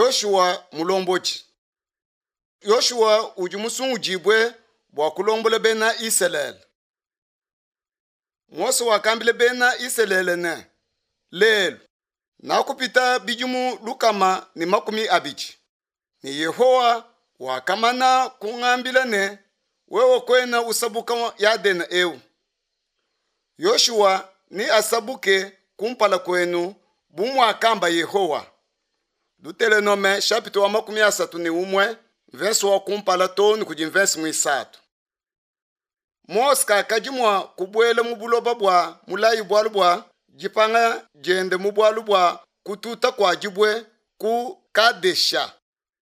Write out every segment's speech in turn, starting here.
Yoshua mulombodi. Yoshua udi musungudibue bua kulombola bena Isalele. Mose wakambila bena Isalele ne, Lelu nakupita bidimu 120, ne Yehowa wakamana kungambila ne, wewe kuena usabuka Yadene eu. Yoshua neasabuke kumpala kuenu bu muakamba Yehowa. Dutelonome chapitre wa 31 verse wa kumpala too ne kudi verse muisatu. Mose kakadi mua kubuela mu buloba bua mulayi bualu bua dipanga diende mu bualu bua kututa kua dibue ku Kadesha.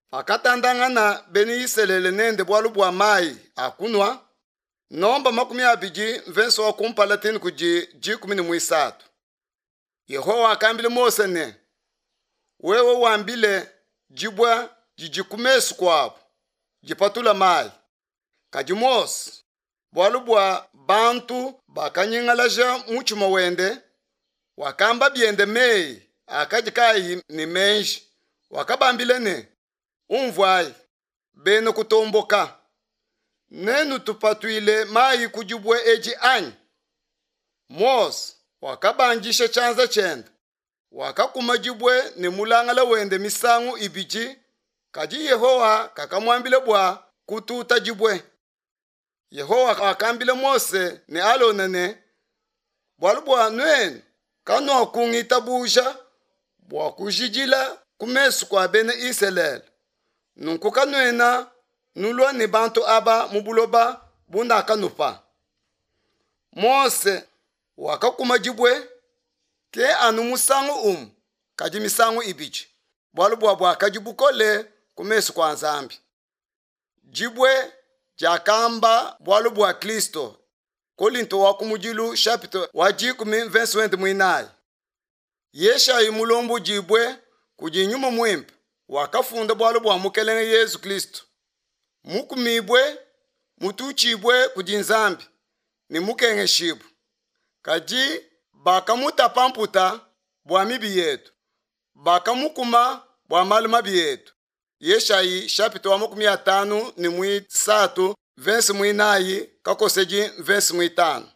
Pakatandangana bena Isalele nende bualu bua mayi a kunua, Nomba 20 mvense wa kumpala tini kudi 13. Yehowa wakambila Mose ne, wewe wambile dibue didi ku mesu kuabu dipatula mayi. Kadi Mose, bualu bua bantu bakanyingalaja mutshima wende, wakamba biende meyi akadi kaayi ne meji, wakabambila ne, Umvuayi, bena kutomboka, nenutupatuile mayi ku dibue edi anyi? Mose wakabandisha tshianza tshiende, wakakuma dibue ne mulangala wende misangu ibidi, kadi Yehowa kakamuambila bua kututa dibue. Yehowa wakambila Mose ne Alona ne, bualu bua nuenu kanuakungitabuja bua kujidila ku mesu kua bena Isalele, nunku kanuena nulua ne bantu aba mu buloba bunakanupa. Mose wakakuma dibue, ke anu musangu umue kadi misangu ibidi, bualu bua buakadi bukole ku mesu kua Nzambi. Dibue diakamba bualu bua Kristo. Kolinto wa kumudilu chapitre wa 10 verse wende muinayi. Yeshayi mulombodibue kudi Nyuma Muimpe wakafunda bualu bua Mukelenge Yezu Kristo, mukumibue, mututshibue kudi Nzambi ne mukengeshibue, kadi bakamutapa mputa bua mibi yetu, bakamukuma bua malu mabi etu. Yeshayi chapitre wa 53 verse muinayi kakosedi verse muitanu.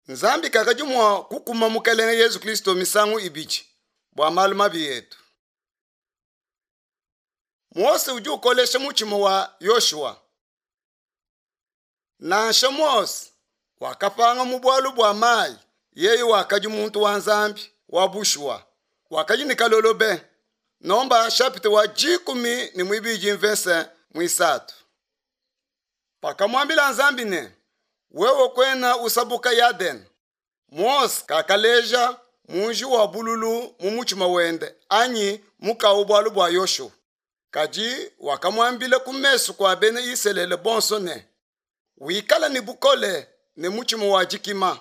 Nzambi kakadi mua kukuma Mukelenge Yezu Kristo misangu ibidi bua malu mabi etu. Mose udi ukolesha mutshima wa Yoshua. Nansha Mose wakapanga mu bualu bua mayi, yeye wakadi muntu wa Nzambi wa bushuwa, wakadi ne kalolo be. Nomba chapitre wa 12 verse muisatu. Pakamuambila Nzambi ne, wewe kuena usabuka Yadene, Mose kakaleja muji wa bululu mu mutshima wende anyi mukawu bualu bua Yoshua. Kadi wakamuambila ku mesu kua bena Isalele bonso ne, wikala ne bukole ne mutshima wa dikima,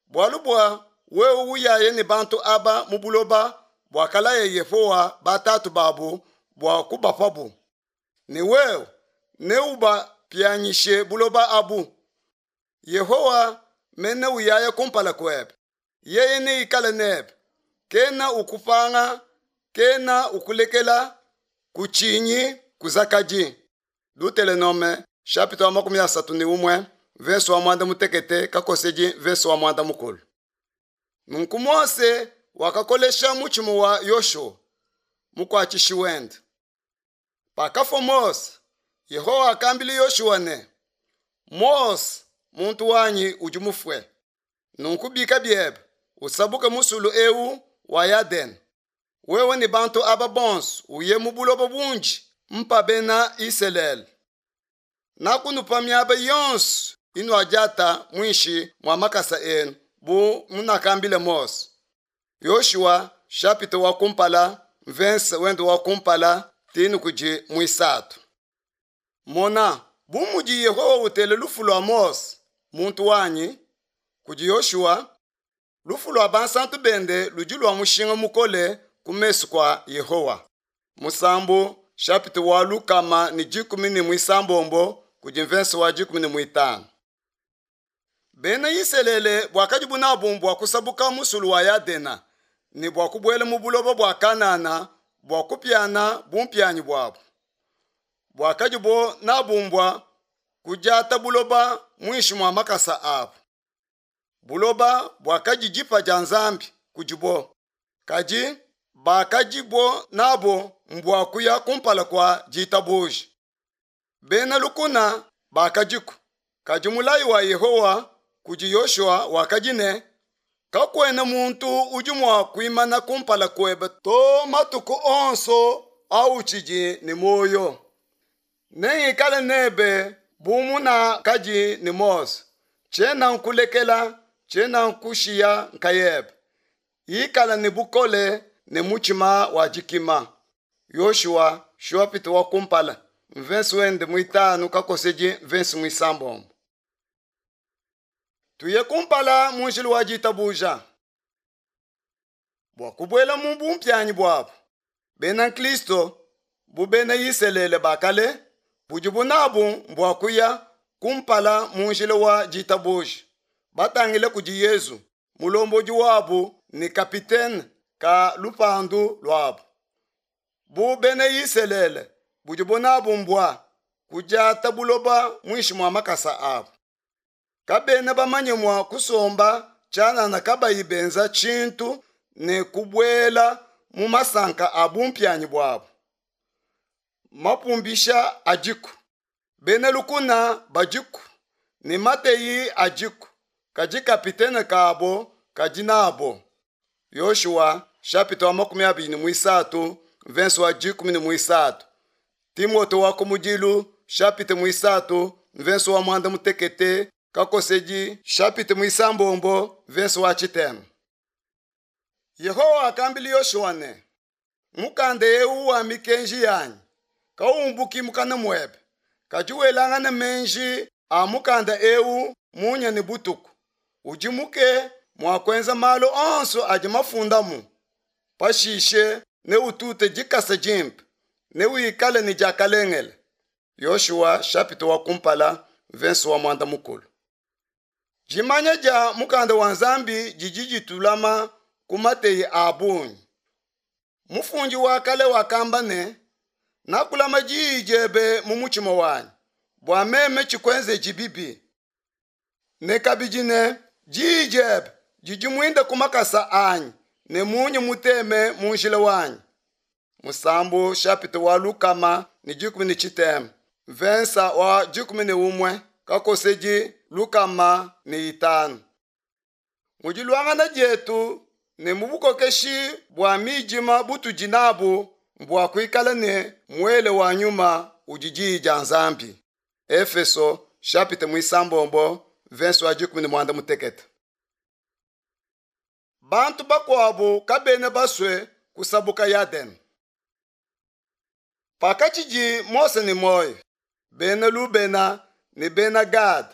bualu bua wewe uyaye ne bantu aba mu buloba buakalaya Yehowa batatu babu bua kubapabu, ne wewe neubapianyishe buloba abu. Yehowa mene uyaya kumpala kuebe, yeye neikale nebe, kena ukupanga, kena ukulekela, kutshinyi, kuzakadi. Dutelonome chapitre wa 31 verse wa 16 kakosedi verse wa 10. Nunku Mose wakakolesha mutshima wa Yoshua mukuatshishi wende. Pakafua Mose, Yehowa wakambila Yoshua ne, Mose muntu wanyi udi mufue. Nunku bika biebe, usabuke musulu eu wa Yadene, wewe ne bantu aba bonso uye mu buloba bundi mpa bena Isalele. Nakunupa miaba yonso inuadiata muinshi mua makasa enu bu munakambile Mose. Yoshua chapitre wa kumpala verse wende wa kumpala tinu kudi muisatu. Mona, bu mudi Yehowa utela lufu lua Mose muntu wanyi kudi Yoshua, lufu lua bansantu bende ludi lua mushinga mukole ku mesu kua Yehowa. Musambu chapitre wa 116 kudi verse wa 15. Bena Isalele buakadi nabu bua kusabuka musulu wa Yadena ne bua kubuela mu buloba bua Kanana bua kupiana bumpianyi buabu. Buakadibo nabu mbua kudiata buloba muinshi mua makasa abu. Buloba buakadi dipa dia Nzambi kudibo, kadi bakadibo nabo mbua kuya kumpala kua ditabuja. Bena lukuna bakadiku, kadi mulayi wa Yehowa kudi Yoshua wakadi ne, Kakuena muntu udi mua kuimana kumpala kuebe to matuku onso autshidi ne muoyo. Nengikale nebe bu munakadi ne Mose, tshiena nkulekela, tshiena nkushiya nkayebe. Ikala ne bukole ne mutshima wa dikima. Yoshua shapita wa kumpala mvensi wende muitanu kakosedi mvensi muisambombo. Tuye kumpala mu njila wa ditabuja. Bua kubuela mu bumpianyi buabu, bena nkristo bu bena Isalele ba kale budibu nabu mbua kuya kumpala mu njila wa ditabuja, batangile kudi Yezu, mulombodi wabu ne kapitene ka lupandu luabu. Bu bena Isalele budibu nabu mbua kudiata buloba muinshi mua makasa abu. Kabena bamanye mua kusomba tshianana kabayi benza tshintu ne kubuela mu masanka a bumpianyi buabu. Mapumbisha adiku, bena lukuna badiku ne mateyi adiku, kadi kapitene kabo kadi nabo. Yoshua chapitre wa 23 verse wa 13. Timote wa kumudilu chapitre mwisatu verse wa mwanda mutekete kakosedi chapitre mwisambombo verse wa chitema. Yehowa akambila Yoshua ne, mukanda eu wa mikenji yanyi kaumbuki mukana muebe, kadi welangana menji a mukanda eu munya ne butuku, udimuke mua kuenza malu onso adi mafundamu. Pashishe neutute dikasa dimpe, newikale ne diakalengele. Yoshua chapitre wa kumpala verse wa mwanda mukulu. Dimanya dia mukanda wa Nzambi didi ditulama ku mateyi a bungi. Mufundi wa kale wakamba ne, nakulama diyi diebe mu mutshima wanyi, bua meme tshikuenzeji bibi. Ne kabidi ne, diyi diebe didi muinda ku makasa anyi ne munyi muteme mu njila wanyi. Musambu chapitre wa 113 verse wa 11 kakosedi 105. Mu diluangana dietu ne mu bukokeshi bua midima butudi nabu mbua kuikala ne muele wa nyuma udi diyi dia Nzambi. Efeso chapitre mwisambombo verse wa 18. Bantu bakuabu kabena basue kusabuka Yadene. Pakatshidi Mose ne muoyo, bena Lubena ne bena Gad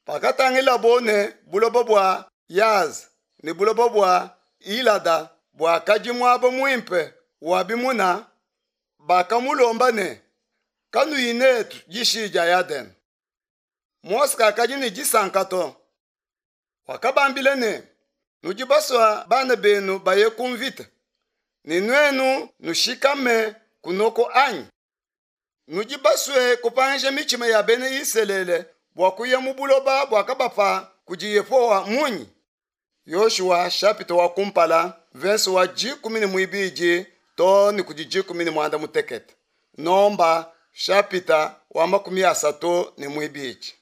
pakatangilabo ne buloba bua Yaza ne buloba bua Ilada buakadi muaba muimpe wa bimuna, bakamulomba ne, kanuyi netu dishi dia Yadene. Mose kakadi ne disanka to. Wakabambila ne, nudi basua bana benu baye ku mvita, ne nuenu nushikame kunoko anyi? Nudi basue kupangisha mitshima ya bena Isalele bua kuya mu buloba buakabapa kudi Yehowa munyi? Yoshua chapitre wa kumpala verse wa 12 to ne kudi 16. Nomba chapitre wa 32.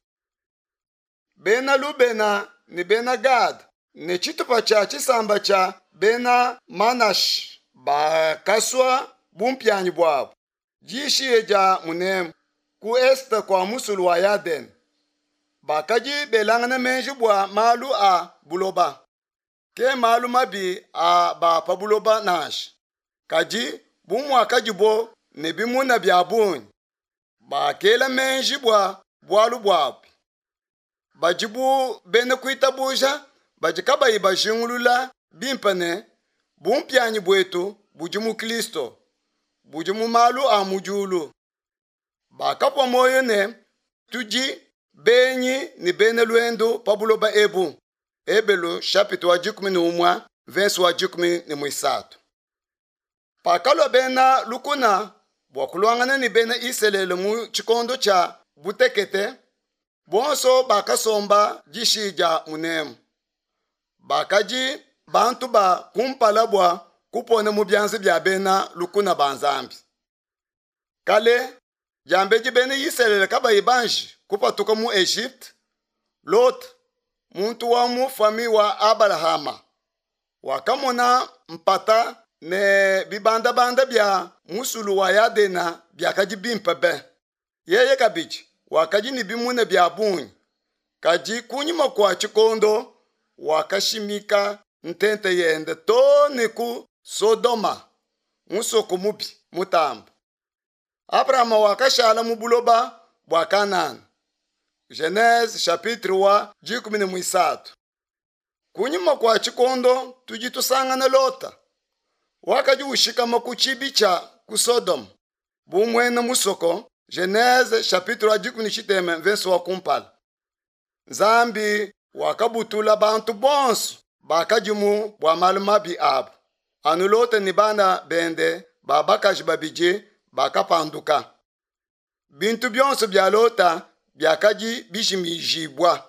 Bena Lubena ne bena Gad ne tshitupa tshia tshisamba tshia bena Manashi bakasua bumpianyi buabu dishiye dia munemu ku este kua musulu wa Yadene. Bakadi belangana menji bua malu a buloba, ke malu mabi a ba pa buloba nansha. Kadi bu muakadibo ne bimuna bia bungi, bakela menji bua bualu buabu. Badi bu bena kuitabuja badi kabayi bajingulula bimpe ne bumpianyi buetu budi mu Kristo, budi mu malu a mu diulu. Bakapua muoyo ne tudi benyi ne bena luendu pa buloba ebu. Ebelu chapitre wa 11 verse wa 13. Pakalua bena lukuna bua kuluangana ne bena Isalele mu tshikondo tshia butekete, bonso bakasomba dishi dia munemu. Bakadi bantu ba kumpala bua kupona mu bianza bia bena lukuna ba Nzambi. Kale, diambedi bena Isalele kabayi banji kupatuka mu Egypte, Lot, muntu wa mu famille wa Abalahama, wakamona mpata ne bibandabanda bia musulu wa Yadena biakadi bimpe be. Yeye kabidi wakadi ne bimuna bia bungi, kadi kunyima kua tshikondo wakashimika ntente yende too ne ku Sodoma, musoko mubi mutambe. Abrahama wakashala mu buloba bua Kanana. Genese chapitre wa 13. Kunyima kua tshikondo tudi tusangana Lota wakadi ushikama ku tshibi tshia ku Sodoma bu muena musoko. Genese chapitre wa 17 verse wa kumpala. Nzambi wakabutula bantu bonso bakadimu bua malu mabi abu. Anu Lota ne bana bende ba bakaji babidi bakapanduka. Bintu bionso bia Lota biakadi bijimijibua.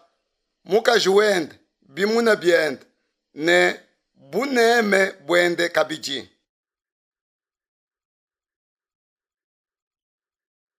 Mukaji wende, bimuna biende ne buneme buende kabidi.